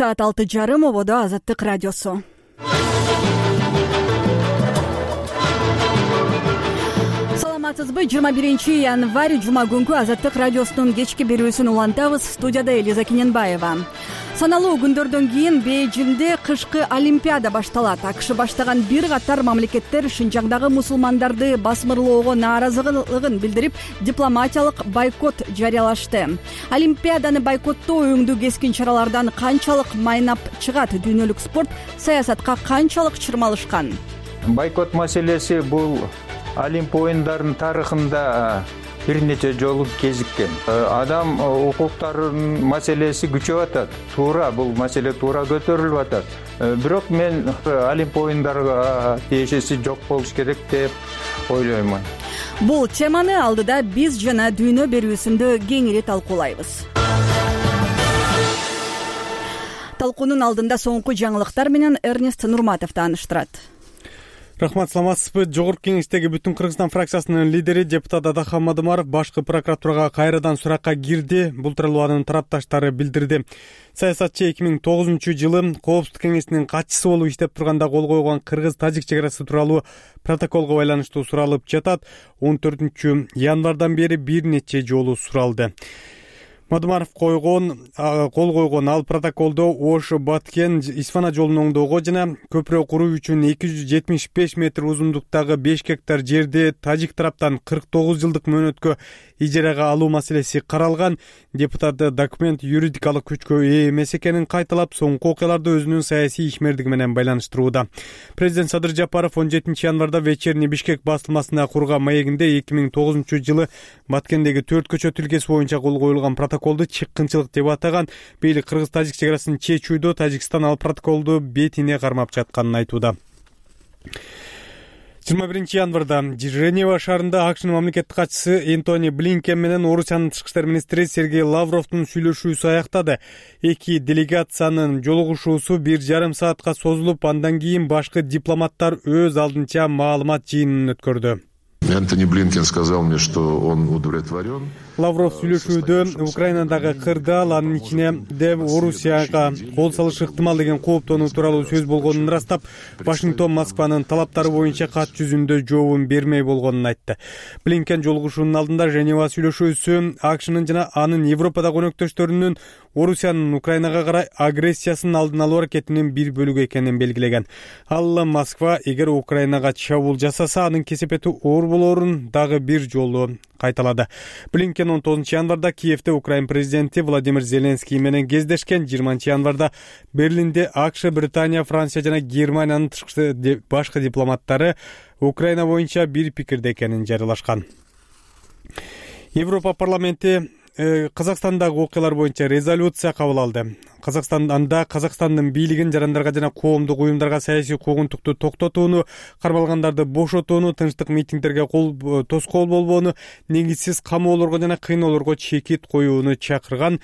Саат 6:30 ободо Азаттык радиосу. Саламатсызбы? 21 январь жума күнкү Азаттык радиосунун кечки берүүсүн улантабыз. Студияда Элиза Кененбаева. Саналуу күндөрдөн кийин Бейжиңде кышкы олимпиада башталат. АКШ баштаган бир катар мамлекеттер Шинжаңдагы мусулмандарды басмырлоого нааразылыгын билдирип, дипломатиялык бойкот жарыялашты. Олимпиаданы бойкоттоо өңдүү кескин чаралардан канчалык майнап чыгат? Дүйнөлүк спорт саясатка канчалык чырмалышкан? Бойкот маселеси бул Олимп оюндарынын тарыхында бир нече жолу кезиккен. Адам укуктарынын маселеси күчөп атат. Туура, бул маселе туура көтөрүлүп атат. Бирок мен Олимп оюндарга тиешеси жок болуш керек деп ойлоймун. Бул теманы алдыда биз жана дүйнө берүүсүндө кеңири талкуулайбыз. Талкуунун алдында соңку жаңылыктар менен Эрнест Нурматов тааныштырат. Рахмат, саламатсызбы? Жогорку кеңештеги Бүтүн Кыргызстан фракциясынын лидери депутат Адахан Мадымаров башкы прокуратурага кайрадан суракка кирди. Бул тууралуу анын тарапташтары билдирди. Саясатчы 2009-жылы Коопсуздук кеңесинин катчысы болуп иштеп турганда кол койгон кыргыз-тажик чек арасы тууралуу протоколго байланыштуу суралып жатат. 14 январдан бери бир нече жолу суралды. Мадымаров кол койгон ал протоколдо Ош Баткен Исфана жолунун оңдоого жана көпүрө куруу үчүн 275 метр узундуктагы 5 гектар жерди тажик тараптан 49 жылдык мөөнөткө ижарага алуу маселеси каралган. Депутат документ юридикалык күчкө ээ эмес экенин кайталап, соңку окуяларды өзүнүн саясий ишмердиги менен байланыштырууда. Президент Садыр Жапаров 17 январда Вечерний Бишкек басылмасына курган маегинде 2009-жылы Баткендеги 4 көчө тилкеси боюнча кол коюлган протоколду чыккынчылык деп атаган. Бийлик кыргыз-тажик чек арасын чечүүдө Тажикстан ал протоколду бетине кармап жатканын айтууда. 21 январда Женева шаарында АКШнын мамлекеттик катчысы Энтони Блинкен менен Орусиянын тышкы иштер министри Сергей Лавровдун сүйлөшүүсү аяктады. Эки делегациянын жолугушуусу 1,5 саатка созулуп, андан кийин башкы дипломаттар өз алдынча маалымат жыйынын өткөрдү. Энтони Блинкен сказал мне, что он удовлетворен. Лавров сүйлөшүүдө Украинадагы кырдаал, анын ичинде Орусияга кол салыш ыктымал деген кооптонуу тууралуу сөз болгонун ырастап, Вашингтон Москванын талаптары боюнча кат жүзүндө жообун бермей болгонун айтты. Блинкен жолугушуунун алдында Женева сүйлөшүүсү АКШнын жана анын Европадагы өнөктөштөрүнүн Орусиянын Украинага карай агрессиясынын алдын алуу аракетинин бир бөлүгү экенин белгилеген. Ал Москва эгер Украинага чабуул жасаса, анын кесепети оор болорун дагы бир жолу кайталады. Блинкен 19 январда Киевде Украин президенти Владимир Зеленский менен кездешкен. 20 январда Берлинде АКШ, Британия, Франция жана Германиянын башкы дипломаттары Украина боюнча бир пикирде экенин жарыялашкан. Европа парламенти Казакстандагы окуялар боюнча резолюция кабыл алды. Казакстандын бийлигин жарандарга жана коомдук уюмдарга саясий куугунтукту токтотууну, кармалгандарды бошотууну, тынчтык митингдерге тоскоол болбоону, негизсиз камоолорго жана кыйноолорго чекит коюуну чакырган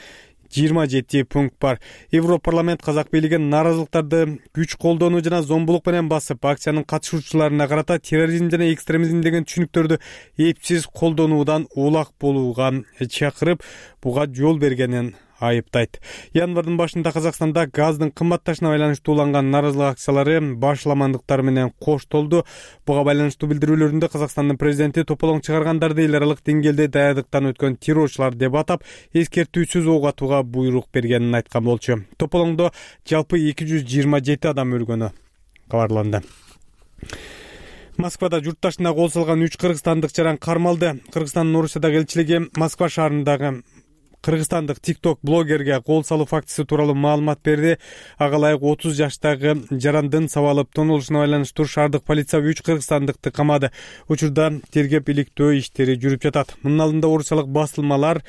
27 пункт бар. Европарламент казак бийлигин нааразылыктарды күч колдонуу жана зомбулук менен басып, акциянын катышуучуларына карата терроризм жана экстремизм деген түшүнүктөрдү эпсиз колдонуудан улак болууга чакырып, буга жол бергенин айыптайт. Январдын башында Казакстанда газдын кымбатташына байланыштуу уланган нааразылык акциялары башламандыктар менен коштолду. Буга байланыштуу билдирүүлөрүндө Казакстандын президенти тополоң чыгаргандарды эл аралык деңгээлде даярдыктан өткөн террорчулар деп атап, эскертүүсүз ок атууга буйрук бергенин айткан болчу. Тополоңдо жалпы 227 адам өлгөнү кабарланды. Москвада журтташына кол салган 3 кыргызстандык жаран кармалды. Кыргызстандын Орусиядагы элчилиги Москва шаарындагы кыргызстандык TikTok блогерге кол салуу фактысы тууралуу маалымат берди. Ага ылайык 30 жаштагы жарандын сабалып тонулушуна байланыштуу шаардык полиция 3 кыргызстандыкты камады. Учурда тергеп иликтөө иштери жүрүп жатат. Мунун алдында орусиялык басылмалар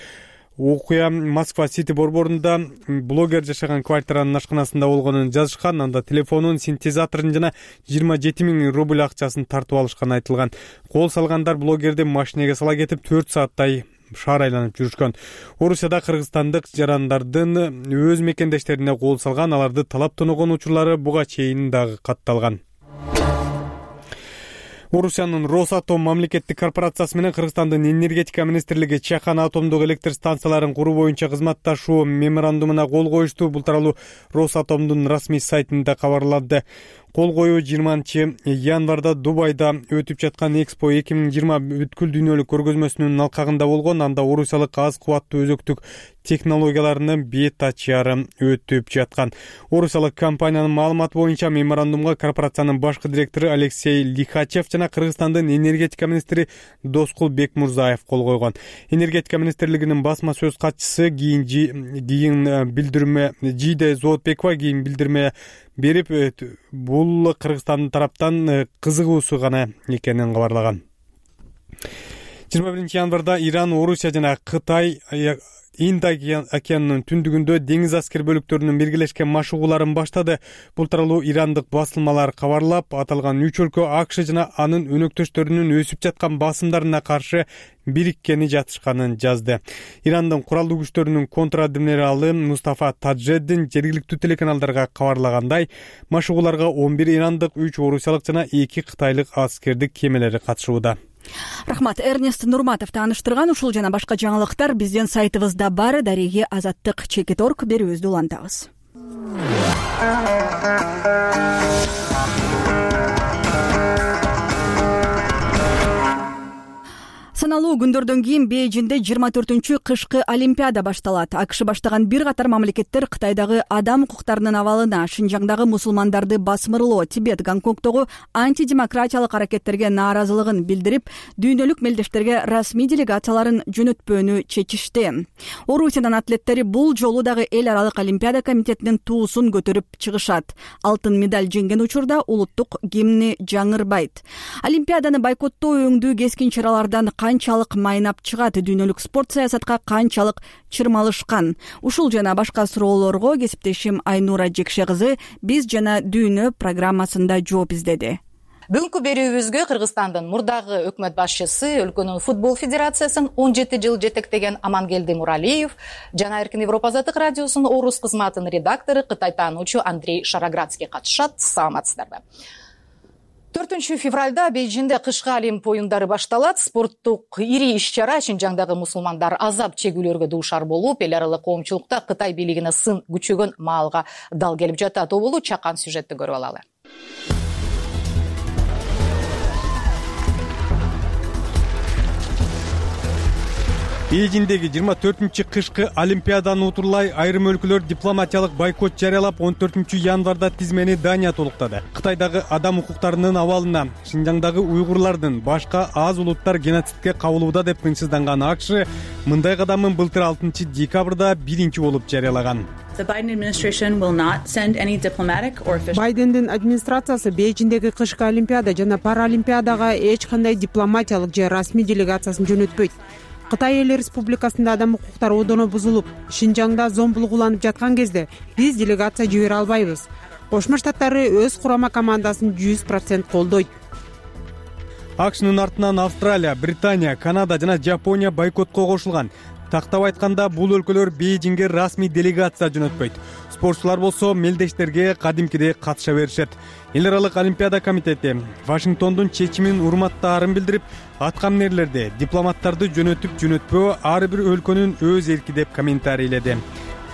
окуя Москва Сити борборунда блогер жашаган квартиранын ашканасында болгонун жазышкан. Анда телефонун, синтезаторун жана 27 000 рубль акчасын тартып алышканы айтылган. Кол салгандар блогерди машинеге сала кетип 4 сааттай шаар айланып жүрүшкөн. Орусияда кыргызстандык жарандардын өз мекендештерине кол салган, аларды талап тоногон учурлары буга чейин дагы катталган. Орусиянын Росатом мамлекеттик корпорациясы менен Кыргызстандын энергетика министрлиги Чахан атомдук электр станцияларын куруу боюнча кызматташуу меморандумуна кол коюшту. Бул тууралуу Росатомдун расмий сайтында кабарланды. Кол коюу 20-январда Дубайда өтүп жаткан Экспо 2020 бүткүл дүйнөлүк көргөзмөсүнүн алкагында болгон. Анда орусиялык аз кубаттуу өзөктүк технологияларынын бет ачары өтүп жаткан. Орусиялык компаниянын маалыматы боюнча меморандумга корпорациянын башкы директору Алексей Лихачев жана Кыргызстандын энергетика министри Доскул Бекмурзаев кол койгон. Энергетика министрлигинин басма сөз катчысы кийин билдирме берип, бул Кыргызстандын тараптан кызыгуусу гана экенин кабарлаган. 21-январда Иран, Орусия жана Кытай Инд океанынын түндүгүндө деңиз аскер бөлүктөрүнүн биргелешкен машыгууларын баштады. Бул тууралуу ирандык басылмалар кабарлап, аталган үч өлкө АКШ жана анын өнөктөштөрүнүн өсүп жаткан басымдарына каршы бириккени жатышканын жазды. Ирандын куралдуу күчтөрүнүн контр-адмиралы Мустафа Таджеддин жергиликтүү телеканалдарга кабарлагандай, машыгууларга 11 ирандык, 3 орусиялык жана 2 кытайлык аскердик кемелери катышууда. Рахмат. Эрнест Нурматов тааныштырган ушул жана башка жаңылыктар биздин сайтыбызда бар. Дареги Азаттык ЧК.орг берүүбүздү улантабыз. Саналуу күндөрдөн кийин Бейжинде 24-чү кышкы олимпиада башталат. АКШ баштаган бир катар мамлекеттер Кытайдагы адам укуктарынын абалына, Шинжаңдагы мусулмандарды басмырлоо, Тибет, Гонконгдогу антидемократиялык аракеттерге нааразылыгын билдирип, дүйнөлүк мелдештерге расмий делегацияларын жөнөтпөөнү чечишти. Орусиянын атлеттери бул жолу дагы эл аралык олимпиада комитетинин туусун көтөрүп чыгышат. Алтын медаль жеңген учурда улуттук гимни жаңырбайт. Олимпиаданы бойкоттоо өңдүү кескин чаралардан канчалык майнап чыгат, дүйнөлүк спорт саясатка канчалык чырмалышкан? Ушул жана башка суроолорго кесиптешим Айнура Жекше кызы «Биз жана дүйнө» программасында жооп издеди. Бүгүнкү берүүбүзгө Кыргызстандын мурдагы өкмөт башчысы, өлкөнүн футбол федерациясын 17 жыл жетектеген Амангелди Муралиев жана Эркин Европа Азаттык радиосунун орус кызматынын редактору, Кытай таануучу Андрей Шараградский катышат. Саламатсыздарбы? 4 февралда Бейжинде кышкы Олимп оюндары башталат. Спорттук ири иш-чара Шинжаңдагы мусулмандар азап чегүүлөргө дуушар болуп, эл аралык коомчулукта Кытай бийлигине сын күчөгөн маалга дал келип жатат. Оболу чакан сюжетти көрүп алалы. Бейжиндеги 24-чү кышкы олимпиаданы утурлай айрым өлкөлөр дипломатиялык бойкот жарыялап, 14-январда тизмени Дания толуктады. Кытайдагы адам укуктарынын абалына, Шинжаңдагы уйгурлардын башка аз улуттар геноцидке кабылууда деп тынчсызданган АКШ мындай кадамын былтыр 6-декабрда биринчи болуп жарыялаган. Байдендин администрациясы Бейжиндеги кышкы олимпиада жана паралимпиадага эч кандай дипломатиялык же расмий делегациясын жөнөтпөйт. Кытай Эл Республикасында адам укуктары одоно бузулуп, Шинжаңда зомбулук уланып жаткан кезде биз делегация жибере албайбыз. Кошмо Штаттары өз курама командасын 100% колдойт. АКШнын артынан Австралия, Британия, Канада жана Жапония бойкотко кошулган. Тактап айтканда, бул өлкөлөр Бейжинге расмий делегация жөнөтпөйт. Спортчулар болсо мелдештерге кадимкидей катыша беришет. Эл аралык олимпиада комитети Вашингтондун чечимин урматтаарын билдирип, аткамнерлерди, дипломаттарды жөнөтүп-жөнөтпөө ар бир өлкөнүн өз эрки деп комментарийледи.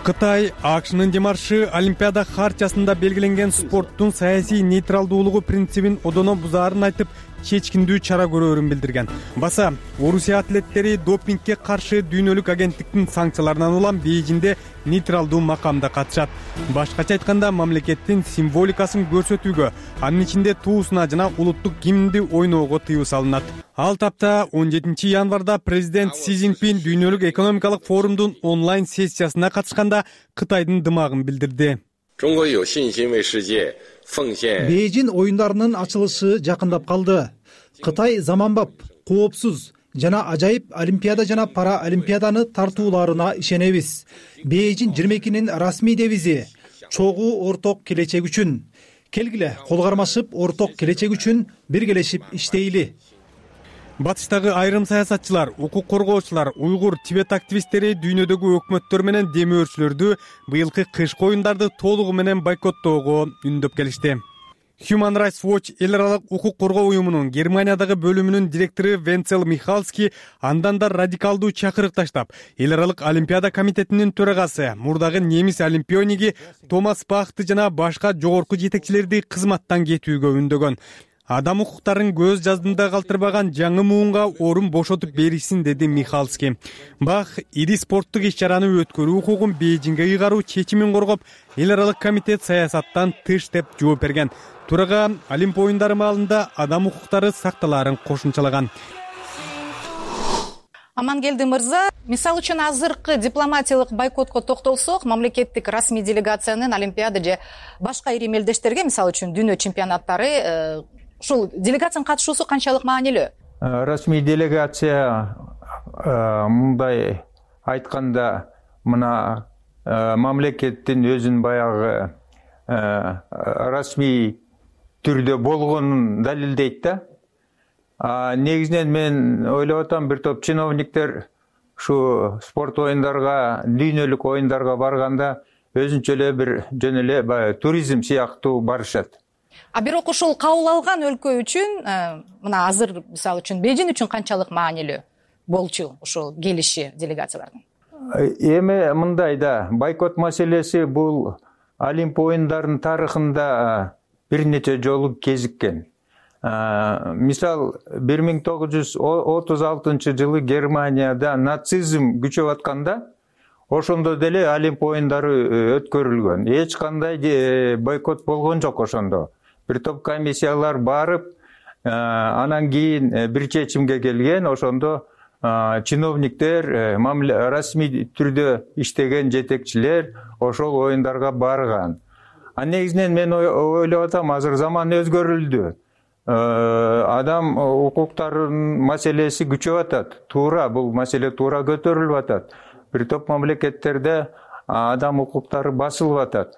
Кытай АКШнын демаршы олимпиада хартиясында белгиленген спорттун саясий нейтралдуулугу принцибин одоно бузаарын айтып, чечкиндүү чара көрөөрүн билдирген. Баса, Орусия атлеттери допингге каршы дүйнөлүк агенттиктин санкцияларынан улам Бейжинде нейтралдуу макамда катышат. Башкача айтканда, мамлекеттин символикасын көрсөтүүгө, анын ичинде туусуна жана улуттук гимнди ойноого тыюу салынат. Ал тапта 17-январда президент Си Цзиньпин дүйнөлүк экономикалык форумдун онлайн сессиясына катышканда Кытайдын дымагын билдирди. Бейжин оюндарынын ачылышы жакындап калды. Кытай заманбап, коопсуз жана ажайып олимпиада жана пара олимпиаданы тартууларына ишенебиз. Бейжин 22-нин расмий девизи чогуу орток келечек үчүн. Келгиле, кол кармашып, орток келечек үчүн биргелешип иштейли. Батыштагы айрым саясатчылар, укук коргоочулар, уйгур, Тибет активисттери дүйнөдөгү өкмөттөр менен демөөрчүлөрдү быйылкы кышкы оюндарды толугу менен бойкоттоого үндөп келишти. Human Rights Watch эл аралык укук коргоо уюмунун Германиядагы бөлүмүнүн директору Венцел Михалский андан да радикалдуу чакырык таштап, эл аралык Олимпиада комитетинин төрагасы, мурдагы немис олимпиониги Томас Бахты жана башка жогорку жетекчилерди кызматтан кетүүгө үндөгөн. Адам укуктарын көз жаздында калтырбаган жаңы муунга орун бошотуп беришсин, деди Михалский. Бах ири спорттук иш-чараны өткөрүү укугун Бейжиңге ыйгаруу чечимин коргоп, эл аралык комитет саясаттан тыш деп жооп берген. Турага Олимп оюндары маалында адам укуктары сакталаарын кошумчалаган. Амангелди мырза, мисалы үчүн азыркы дипломатиялык бойкотко токтолсок, мамлекеттик расмий делегациянын Олимпиада же башка ири мелдештерге, мисалы үчүн дүйнө чемпионаттары, ушул делегациянын катышуусу канчалык маанилүү? Расмий делегация мындай айтканда, мына мамлекеттин өзүнүн баягы расмий түрдө болгонун далилдейт да. Негизинен мен ойлоп атам, бир топ чиновниктер ушу спорт оюндарга, дүйнөлүк оюндарга барганда өзүнчө эле бир жөн эле баягы туризм сыяктуу барышат. Бирок ушул кабыл алган өлкө үчүн, мына азыр мисалы үчүн Бейжиң үчүн канчалык маанилүү болчу ушул келиши делегациялардын? Эми мындай да, бойкот маселеси бул Олимп оюндарынын тарыхында бир нече жолу кезиккен. Мисал 1936 жылы Германияда нацизм күчөп атканда, ошондо деле Олимп оюндары өткөрүлгөн. Эч кандай бойкот болгон жок ошондо. Бир топ комиссиялар барып, анан кийин бир чечимге келген. Ошондо чиновниктер, расмий түрдө иштеген жетекчилер ошол оюндарга барган. Негизинен мен ойлоп атам, азыр заман өзгөрүлдү. Адам укуктарынын маселеси күчөп атат. Туура, бул маселе туура көтөрүлүп атат. Бир топ мамлекеттерде адам укуктары басылып атат.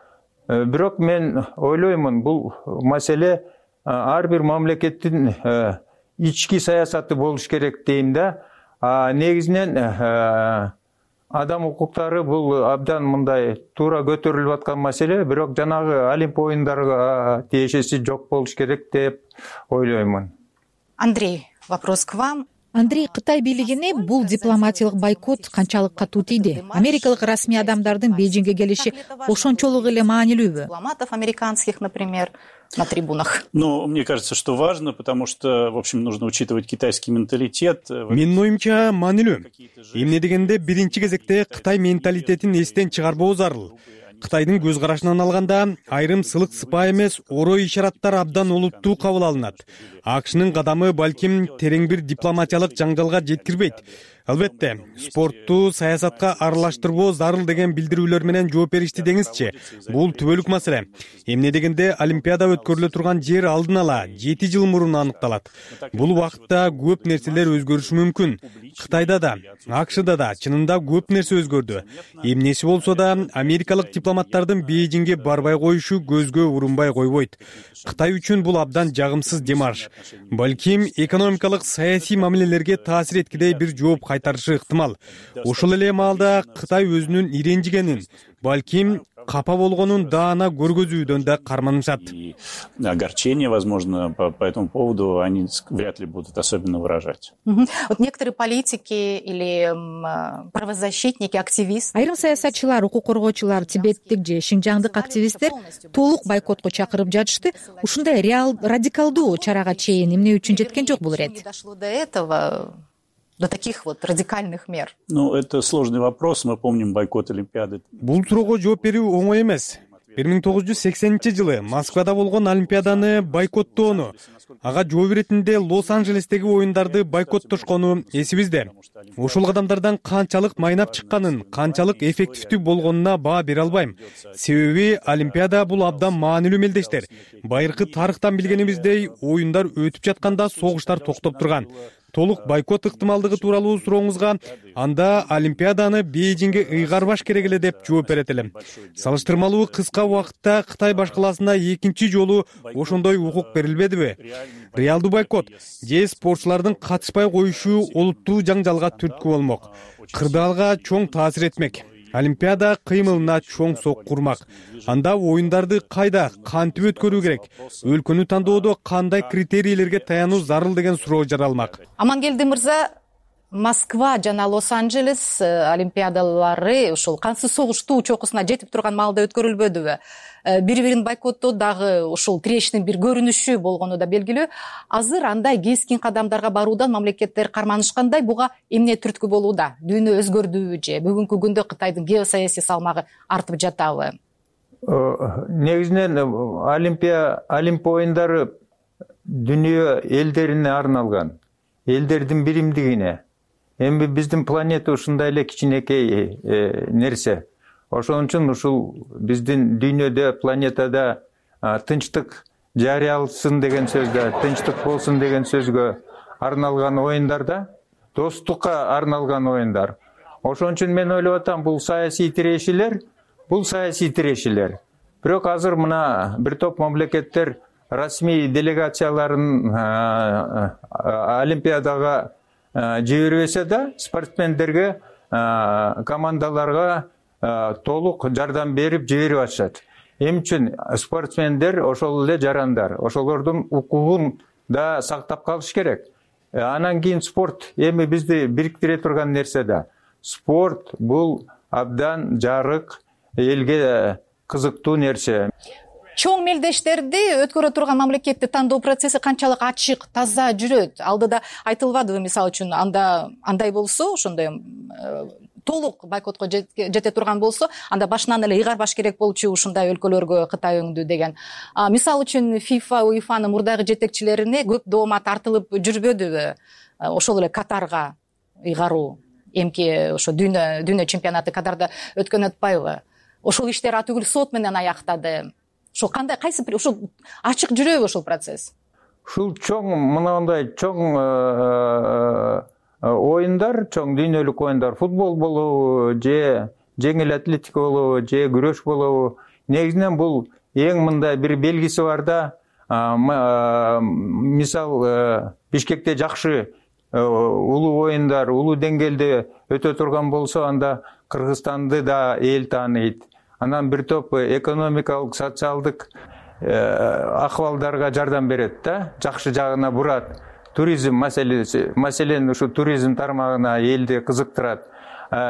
Бирок мен ойлоймун, бул маселе ар бир мамлекеттин ички саясаты болуш керек дейм да. Негизинен адам укуктары бул абдан мындай туура көтөрүлүп аткан маселе, бирок жанагы Олимп оюндарга тиешеси жок болуш керек деп ойлоймун. Андрей, вопрос к вам. Андрей, Кытай бийлигине бул дипломатиялык бойкот канчалык катуу тийди? Америкалык расмий адамдардын Бейжиңге келиши ошончолук эле маанилүүбү? Дипломатов американских, например, на трибунах. Мне кажется, что важно, потому что, в общем, нужно учитывать китайский менталитет. Менин оюмча маанилүү. Эмне дегенде биринчи кезекте Кытай менталитетин эстен чыгарбоо зарыл. Кытайдын көз карашынан алганда айрым сылык сыпаа эмес орой ишараттар абдан олуттуу кабыл алынат. АКШнын кадамы балким терең бир дипломатиялык жаңжалга жеткирбейт. Албетте, спортту саясатка аралаштырбоо зарыл деген билдирүүлөр менен жооп беришти деңизчи. Бул түбөлүк маселе. Эмне дегенде Олимпиада өткөрүлө турган жер алдын ала 7 жыл мурун аныкталат. Бул убакытта көп нерселер өзгөрүшү мүмкүн. Кытайда да, АКШда да чынында көп нерсе өзгөрдү. Эмнеси болсо да, америкалык дипломаттардын Бейжиңге барбай коюшу көзгө урунбай койбойт. Кытай үчүн бул абдан жагымсыз демарш. Балким экономикалык саясий мамилелерге таасир эткидей бир жооп кайтарышы ыктымал. Ошол эле маалда Кытай өзүнүн иренжигенин, балким капа болгонун даана көргөзүүдөн да карманышат. Огорчение, возможно, по этому поводу они вряд ли будут особенно выражать. Вот некоторые политики или правозащитники, активисты. Айрым саясатчылар, укук коргоочулар, тибеттик же шинжаңдык активисттер толук бойкотко чакырып жатышты. Ушундай радикалдуу чарага чейин эмне үчүн жеткен жок бул ирет? Дошло до этого. До таких вот радикальных мер? Это сложный вопрос. Мы помним бойкот Олимпиады. Бул суроого жооп берүү оңой эмес. 1980-жылы Москвада болгон Олимпиаданы бойкоттоону, ага жооп иретинде Лос-Анджелестеги оюндарды бойкоттошкону эсибизде. Ушул кадамдардан канчалык майнап чыкканын, канчалык эффективдүү болгонуна баа бере албайм. Себеби Олимпиада бул абдан маанилүү мелдештер. Байыркы тарыхтан билгенибиздей, оюндар өтүп жатканда согуштар токтоп турган. Толук бойкот ыктымалдыгы тууралуу сурооңузга, анда Олимпиаданы Бейжиңге ыйгарбаш керек эле деп жооп берет элем. Салыштырмалуу кыска убакытта Кытай башкаласына экинчи жолу ошондой укук берилбедиби? Реалдуу бойкот же спортчулардын катышпай коюшу олуттуу жаңжалга түрткү болмок. Кырдаалга чоң таасир этмек. Олимпиада кыймылына чоң сок курмак. Анда оюндарды кайда, кантип өткөрүү керек? Өлкөнү тандоодо кандай критерийлерге таянуу зарыл деген суроо жаралмак. Амангелди мырза, Москва жана Лос-Анджелес олимпиадалары ушул кансыз согуштуу чокусуна жетип турган маалда өткөрүлбөдүбү? Бири-бирин бойкоттоо дагы ушул тирештин бир көрүнүшү болгону да белгилүү. Азыр андай кескин кадамдарга баруудан мамлекеттер карманышкандай, буга эмне түрткү болууда? Дүйнө өзгөрдүбү же бүгүнкү күндө Кытайдын геосаясий салмагы артып жатабы? Негизинен Олимп оюндары дүйнө элдерине арналган, элдердин биримдигине. Эми биздин планета ушундай эле кичинекей нерсе. Ошон үчүн ушул биздин дүйнөдө, планетада тынчтык жарыялсын деген сөздө, тынчтык болсун деген сөзгө арналган оюндарда, достукка арналган оюндар. Ошон үчүн мен ойлоп атам, бул саясий тирешилер. Бирок азыр мына бир топ мамлекеттер расмий делегацияларын Олимпиадага жибербесе да, спортсмендерге, командаларга толук жардам берип жиберип атышат. Эмне үчүн? Спортсмендер ошол эле жарандар, ошолордун укугун да сактап калыш керек. Анан кийин спорт эми бизди бириктире турган нерсе да. Спорт бул абдан жарык, элге кызыктуу нерсе. Чоң мелдештерди өткөрө турган мамлекетти тандоо процесси канчалык ачык, таза жүрөт? Алдыда айтылбадыбы, мисалы үчүн, андай болсо, ошондой толук бойкотко жете турган болсо, анда башынан эле ыйгарбаш керек болчу ушундай өлкөлөргө Кытай өңдү деген. Мисалы үчүн FIFA, УЕФАнын мурдагы жетекчилерине көп доомат артылып жүрбөдүбү? Ошол эле Катарга ыйгаруу, эмки ошо дүйнө чемпионаты Катарда өткөн атпайбы? Ошол иштер атүгүл сот менен аяктады. Ошо кандай, кайсы бир ошол ачык жүрөбү ошол процесс? Ушул чоң, мынандай чоң оюндар, чоң дүйнөлүк оюндар, футбол болобу, же жеңил атлетика болобу, же күрөш болобу, негизинен бул эң мындай бир белгиси бар да. Мисал, Бишкекте жакшы улуу оюндар, улуу деңгээлде өтө турган болсо, анда Кыргызстанды да эл тааныйт. Анан бир топ экономикалык, социалдык акыбалдарга жардам берет да, жакшы жагына бурат. Туризм маселеси, маселен ушу туризм тармагына элди кызыктырат.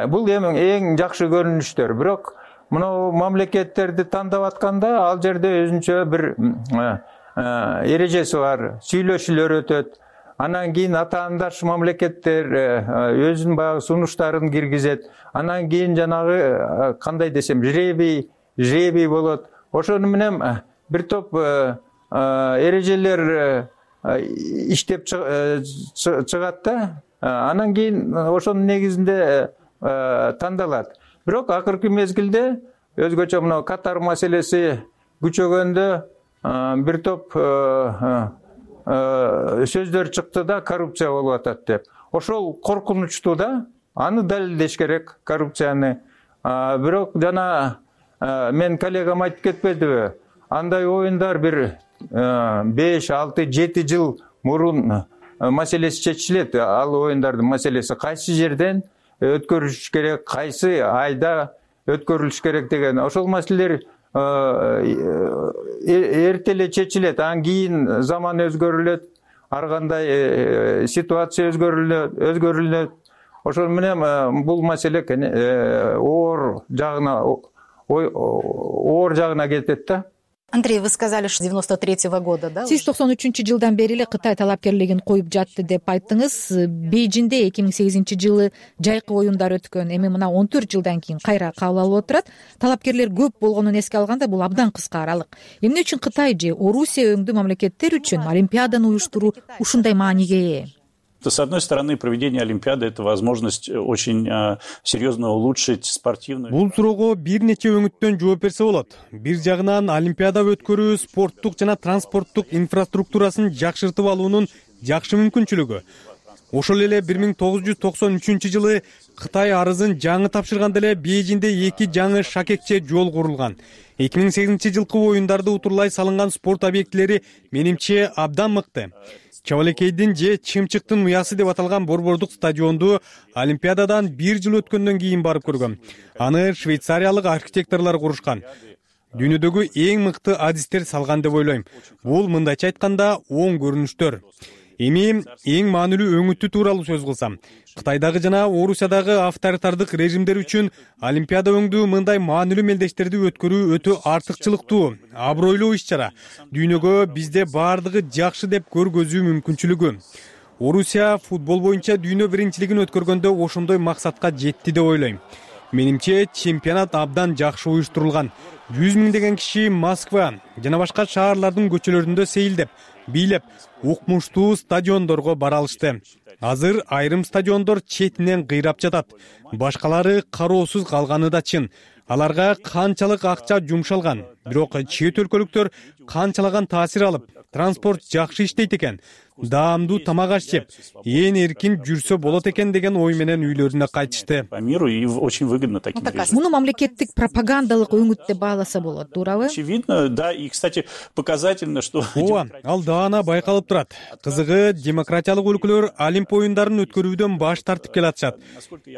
Бул эң жакшы көрүнүштөр. Бирок мына мамлекеттерди тандап атканда, ал жерде өзүнчө бир эрежеси бар, сүйлөшүүлөр өтөт. Анан кийин атаандаш мамлекеттер өзүнүн баягы сунуштарын киргизет. Анан кийин жанагы кандай десем, жребий болот. Ошону менен бир топ эрежелер иштеп чыгат да. Анан кийин ошонун негизинде тандалат. Бирок акыркы мезгилде өзгөчө мына Катар маселеси күчөгөндө бир топ сөздөр чыкты да, коррупция болуп атат деп. Ошол коркунучтуу да, аны далилдеш керек, коррупцияны. Бирок жана мен коллегам айтып кетпедиби? Андай оюндар бир 5, 6, 7 жыл мурун маселеси чечилет. Ал оюндардын маселеси кайсы жерден өткөрүлүш керек, кайсы айда өткөрүлүш керек деген. Ошол маселелер эрте эле чечилет. Анан кийин заман өзгөрүлөт, ар кандай ситуация өзгөрүлөт. Ошол менен бул маселе оор жагына кетет да. Андрей, вы сказали, что 93-го года, да? Сиз 93-жылдан бери эле Кытай талапкерлигин коюп жатты деп айттыңыз. Бейжинде 2008-жылы жайкы оюндар өткөн. Эми мына 14 жылдан кийин кайра кабыл алып отурат. Талапкерлер көп болгонун эске алганда, бул абдан кыска аралык. Эмне үчүн Кытай же Орусия өңдүү мамлекеттер үчүн Олимпиаданы уюштуруу ушундай мааниге ээ? С одной стороны, проведение Олимпиады – это возможность очень серьезно улучшить спортивную... Бул суроого бир нече өңүттөн жооп берсе болот. Бир жагынан Олимпиада өткөрүү спорттук жана транспорттук инфраструктурасын жакшыртып алуунун жакшы мүмкүнчүлүгү. Ошол эле 1993-жылы Кытай арызын жаңы тапшырганда эле Бейжинде 2 жаңы шакекче жол курулган. 2008-жылкы оюндарды утурлай салынган спорт объектилери менимче абдан мыкты. Чабалекейдин же Чымчыктын уясы деп аталган борбордук стадионду Олимпиададан 1 жыл өткөндөн кийин барып көргөм. Аны швейцариялык архитекторлор курушкан. Дүйнөдөгү эң мыкты адистер салган деп ойлойм. Бул мындайча айтканда оң көрүнүштөр. Эми эң маанилүү өңүтү тууралуу сөз кылсам, Кытайдагы жана Орусиядагы авторитардык режимдер үчүн Олимпиада өңдүү мындай маанилүү мелдештерди өткөрүү өтө артыкчылыктуу, абройлуу иш-чара. Дүйнөгө бизде бардыгы жакшы деп көргөзүү мүмкүнчүлүгү. Орусия футбол боюнча дүйнө биринчилигин өткөргөндө ошондой максатка жетти деп ойлойм. Менимче чемпионат абдан жакшы уюштурулган. 100 миңдеген киши Москва жана башка шаарлардын көчөлөрүндө сейилдеп, бийлеп, укмуштуу стадиондорго бара алышты. Азыр айрым стадиондор четинен кыйрап жатат. Башкалары кароосуз калганы да чын. Аларга канчалык акча жумшалган, бирок чет өлкөлүктөр канчалаган таасир алып, транспорт жакшы иштейт экен, даамдуу тамак аш жеп, ээн эркин жүрсө болот экен деген ой менен үйлөрүнө кайтышты. По миру и очень выгодно таким режимам. Муну мамлекеттик пропагандалык өңүт деп бааласа болот, туурабы? Очевидно, да, и, кстати, показательно, что... Ооба, ал даана байкалып турат. Кызыгы, демократиялык өлкөлөр Олимп оюндарын өткөрүүдөн баш тартып келатышат.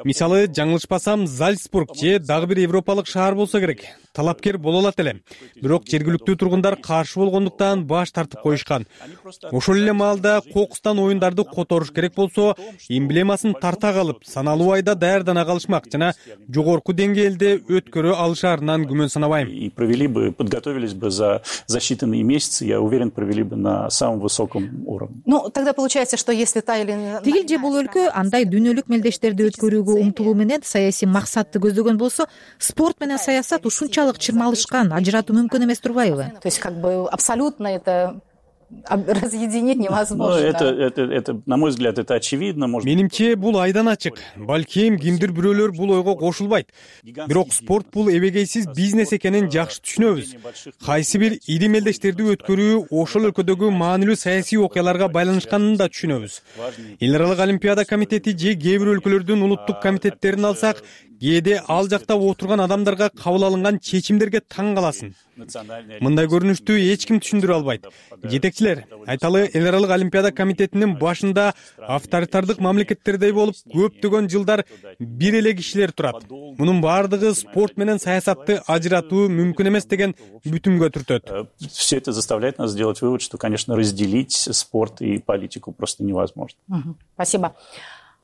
Мисалы, жаңылышпасам, Зальцбург же дагы бир европалык шаар болсо керек. Талапкер боло алат эле. Бирок жергиликтүү тургундар каршы болгондуктан баш тартып коюшкан. Ошол эле маалда кокустан оюндарды которуш керек болсо, эмблемасын тарта калып, саналуу айда даярдана калышмак жана жогорку деңгээлде өткөрө алышаарынан күмөн санабайм. И провели бы, подготовились бы за считанные месяцы, я уверен, провели бы на самом высоком уровне. Ну, тогда получается, что если та или... Тигил же бул өлкө андай дүйнөлүк мелдештерди өткөрүүгө умтулуу менен саясий максатты көздөгөн болсо, спорт менен саясат ушунчалык чырмалышкан, ажыратуу мүмкүн эмес турбайбы? То есть, как бы, абсолютно это... разъединить невозможно. Это, на мой взгляд, это очевидно. Менимче бул айдан ачык. Балким кимдир бирөөлөр бул ойго кошулбайт. Бирок спорт бул эбегейсиз бизнес экенин жакшы түшүнөбүз. Кайсы бир ири мелдештерди өткөрүү ошол өлкөдөгү маанилүү саясий окуяларга байланышканын да түшүнөбүз. Эл аралык олимпиада комитети же кээ бир өлкөлөрдүн улуттук комитеттерин алсак, кээде ал жакта отурган адамдарга кабыл алынган чечимдерге таң каласың. Мындай көрүнүштү эч ким түшүндүрө албайт. Жетекчилер, айталы, эл аралык олимпиада комитетинин башында авторитардык мамлекеттердей болуп көптөгөн жылдар бир эле кишилер турат. Мунун баардыгы спорт менен саясатты ажыратуу мүмкүн эмес деген бүтүмгө түртөт. Все это заставляет нас сделать вывод, что, конечно, разделить спорт и политику просто невозможно. Спасибо.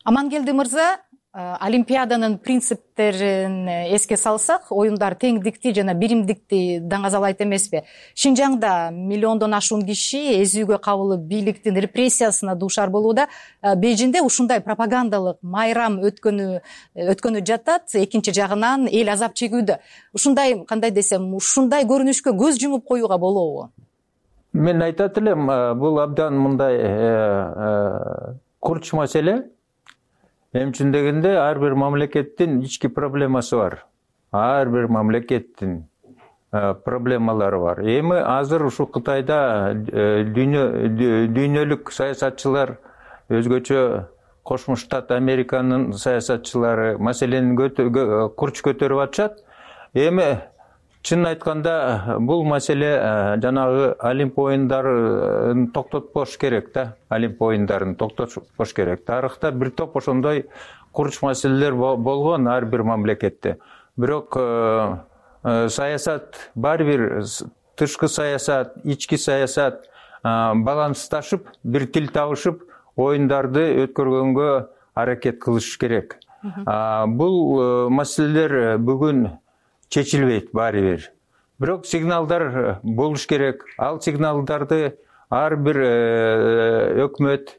Амангелди мырза, Олимпиаданын принциптерин эске салсак, оюндар теңдикти жана биримдикти даңазалайт эмеспи? Шинжаңда миллиондон ашуун киши эзүүгө кабылып бийликтин репрессиясына дуушар болууда. Бейжиңде ушундай пропагандалык майрам өткөнү жатат, экинчи жагынан эл азап чегүүдө. Ушундай, кандай десем, ушундай көрүнүшкө көз жумуп коюуга болобу? Мен айтат элем, бул абдан мындай курч маселе. Эмчүн дегенде ар бир мамлекеттин ички проблемасы бар. Ар бир мамлекеттин проблемалары бар. Эми азыр ушу Кытайда дүйнөлүк саясатчылар, өзгөчө Кошмо Штат Американын саясатчылары маселени курч көтөрүп атышат. Эми чын айтканда бул маселе жанагы Олимп оюндарын токтотпош керек да. Олимп оюндарын токтотпош керек. Тарыхта бир топ ошондой курч маселелер болгон ар бир мамлекетте. Бирок саясат бар бир тышкы саясат, ички саясат балансташып, бир тил табышып, оюндарды өткөргөнгө аракет кылыш керек. Бул маселелер бүгүн чечилбейт баары бир. Бирок сигналдар болуш керек. Ал сигналдарды ар бир өкмөт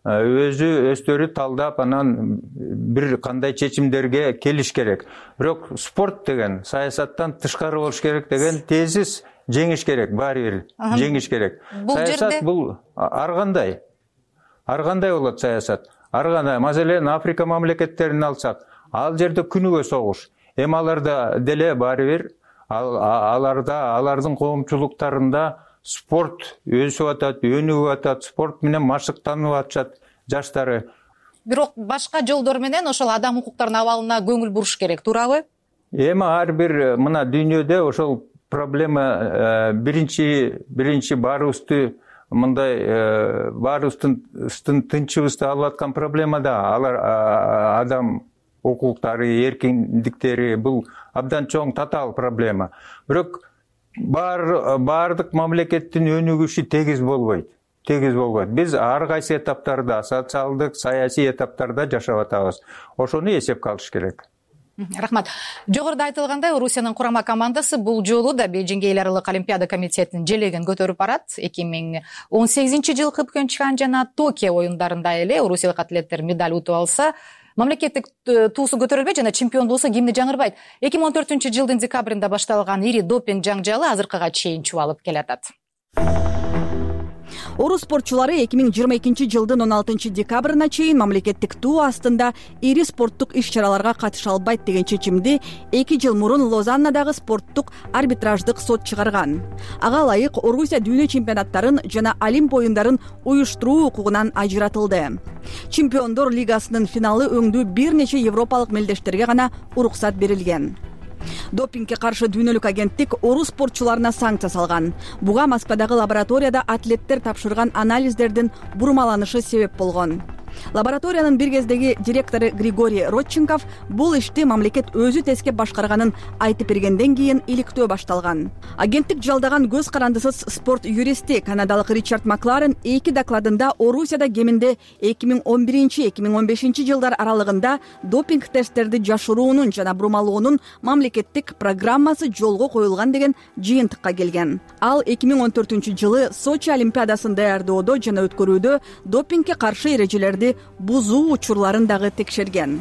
өздөрү талдап, анан бир кандай чечимдерге келиш керек. Бирок спорт деген саясаттан тышкары болуш керек деген тезис жеңиш керек, баары бир жеңиш керек. Саясат бул ар кандай болот саясат. Ар кандай, маселен Африка мамлекеттерин алсак, ал жерде күнүгө согуш. Эми аларда деле баары бир, алардын коомчулуктарында спорт өсүп атат, өнүгүп атат, спорт менен машыктанып атышат жаштары. Бирок башка жолдор менен ошол адам укуктарынын абалына көңүл буруш керек, туурабы? Эми ар бир мына дүйнөдө ошол проблема биринчи баарыбызды мындай баарыбыздын тынчыбызды алып аткан проблема да. Алар адам укуктары, эркиндиктери бул абдан чоң татаал проблема. Бирок баардык мамлекеттин өнүгүшү тегиз болбойт. Биз ар кайсы этаптарда, социалдык, саясий этаптарда жашап атабыз. Ошону эсепке алыш керек. Рахмат. Жогоруда айтылгандай, Орусиянын курама командасы бул жолу да Бейжиңге эл аралык олимпиада комитетинин желегин көтөрүп барат. 2018-жылкы Пхенчхан жана Токио оюндарында эле орусиялык атлеттер медаль утуп алса, мамлекеттик туусу көтөрүлбөйт жана чемпион болсо гимни жаңырбайт. 2014-жылдын декабрында башталган ири допинг жаңжалы азыркыга чейин чубалып келатат. Орус спортчулары 2022-жылдын 16-декабрына чейин мамлекеттик туу астында ири спорттук иш-чараларга катыша албайт деген чечимди 2 жыл мурун Лозаннадагы спорттук арбитраждык сот чыгарган. Ага ылайык Орусия дүйнө чемпионаттарын жана Олимп оюндарын уюштуруу укугунан ажыратылды. Чемпиондор лигасынын финалы өңдүү бир нече европалык мелдештерге гана уруксат берилген. Допингге каршы дүйнөлүк агенттик орус спортчуларына санкция салган. Буга Москвадагы лабораторияда атлеттер тапшырган анализдердин бурмаланышы себеп болгон. Лабораториянын бир кездеги директору Григорий Родченков бул ишти мамлекет өзү тескеп башкарганын айтып бергенден кийин иликтөө башталган. Агенттик жалдаган көз карандысыз спорт юристи канадалык Ричард Макларен 2 докладында Орусияда кеминде 2011-2015 жылдар аралыгында допинг тесттерди жашыруунун жана бурмалоонун мамлекеттик программасы жолго коюлган деген жыйынтыкка келген. Ал 2014-жылы Сочи олимпиадасын даярдоодо жана өткөрүүдө допингге каршы эрежелерди бузуу учурларын дагы текшерген.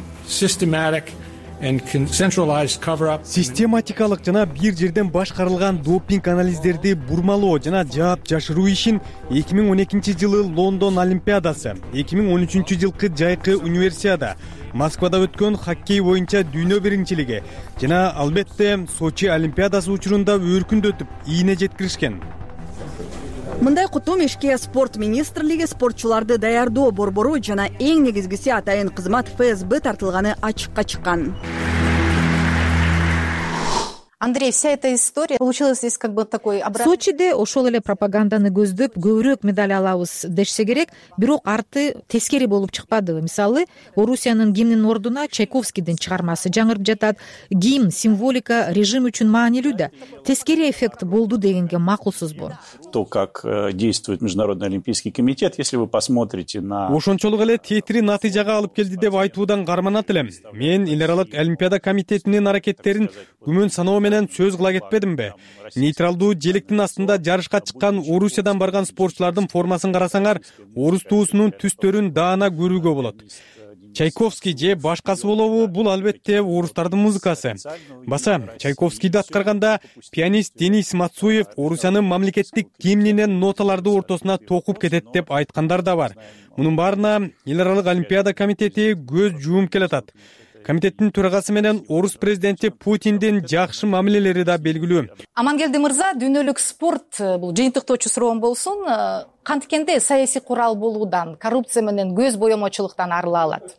Систематикалык жана бир жерден башкарылган допинг анализдерди бурмалоо жана жаап жашыруу ишин 2012-жылы Лондон олимпиадасы, 2013-жылкы жайкы универсиада, Москвада өткөн хоккей боюнча дүйнө биринчилиги жана албетте Сочи олимпиадасы учурунда өркүндөтүп ийне жеткиришкен. Мындай кутум ишке спорт министрлиги, спортчуларды даярдоо борбору жана эң негизгиси атайын кызмат ФСБ тартылганы ачыкка чыккан. Андрей, вся эта история получилась здесь как бы такой Сочиде ошол эле пропаганданы көздөп көбүрөөк медаль алабыз дешсе керек, бирок арты тескери болуп чыкпады. Мисалы, Орусиянын гимнинин ордуна Чайковскийдин чыгармасы жаңырып жатат. Гимн, символика режим үчүн маанилүү да. Тескери эффект болду дегенге макулсузбу? То, как действует Международный олимпийский комитет, если вы посмотрите на... Ошончолук эле тетири натыйжага алып келди деп айтуудан карманат элем. Мен эл аралык олимпиада комитетинин аракеттерин күмөн саноо менен сөз кыла кетпедимби? Нейтралдуу желектин астында жарышка чыккан Орусиядан барган спортчулардын формасын карасаңар, орус туусунун түстөрүн даана көрүүгө болот. Чайковский же башкасы болобу, бул албетте орустардын музыкасы. Баса Чайковскийди аткарганда пианист Денис Мацуев Орусиянын мамлекеттик гимнинен ноталарды ортосуна токуп кетет деп айткандар да бар. Мунун баарына эл аралык олимпиада комитети көз жууп келатат. Комитеттин төрагасы менен орус президенти Путиндин жакшы мамилелери да белгилүү. Амангелди мырза, дүйнөлүк спорт бул жыйынтыктоочу суроом болсун, канткенде саясий курал болуудан, коррупция менен көз боемочулуктан арыла алат?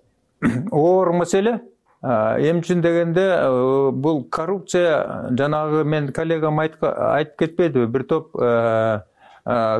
Оор маселе. Эмчин дегенде бул коррупция, жанагы мен коллегам айтып кетпедиби, бир топ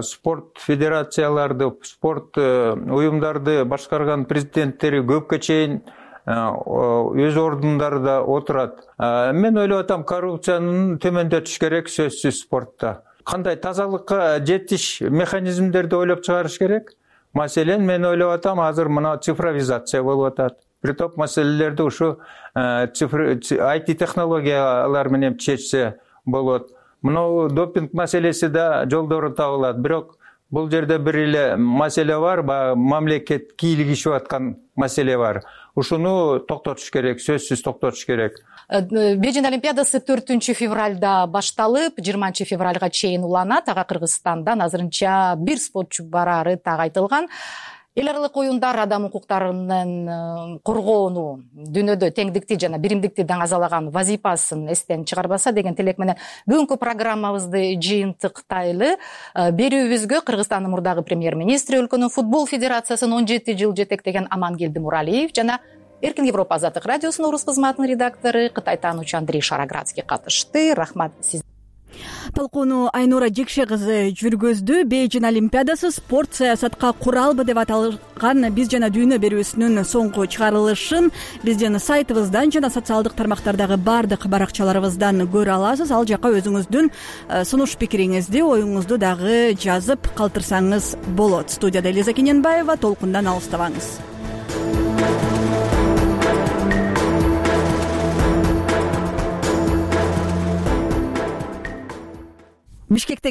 спорт федерацияларды, спорт уюмдарды башкарган президенттери көпкө чейин өз ордундарда отурат. Мен ойлоп атам, коррупциянын төмөндөтүш керек сөзсүз спортто. Кандай тазалыкка жетиш механизмдерди ойлоп чыгарыш керек. Маселен, мен ойлоп атам, азыр мына цифровизация болуп атат. Бир топ маселелерди ушу IT технологиялар менен чечсе болот. Мына допинг маселеси да жолдору табылат. Бирок бул жерде бир эле маселе бар, мамлекет кийлигишип аткан маселе бар. Ушуну токтотуш керек, сөзсүз токтотуш керек. Бейжиң олимпиадасы 4 февралда башталып, 20 февралга чейин уланат. Ага Кыргызстандан азырынча бир спортчу барары так айтылган. Эл аралык оюндар адам укуктарынын коргоону, дүйнөдө теңдикти жана биримдикти даңазалаган вазипасын эстен чыгарбаса деген тилек менен бүгүнкү программабызды жыйынтыктайлы. Берүүбүзгө Кыргызстандын мурдагы премьер-министри, өлкөнүн футбол федерациясын 17 жыл жетектеген Амангелди Муралиев жана Эркин Европа азаттык радиосунун орус кызматынын редактору, Кытай таануучу Андрей Шароградский катышты. Рахмат сиз. Толкууну Айнура Жекше кызы жүргөздү. Бейжин Олимпиадасы спорт саясатка куралбы деп аталган Биз жана дүйнө берүүсүнүн соңку чыгарылышын биздин сайтыбыздан жана социалдык тармактардагы баардык баракчаларыбыздан көрө аласыз. Ал жака өзүңүздүн сунуш пикириңизди, оюңузду дагы жазып калтырсаңыз болот. Студияда Элиза Кененбаева, толкундан алыстабаңыз. Бишкектеги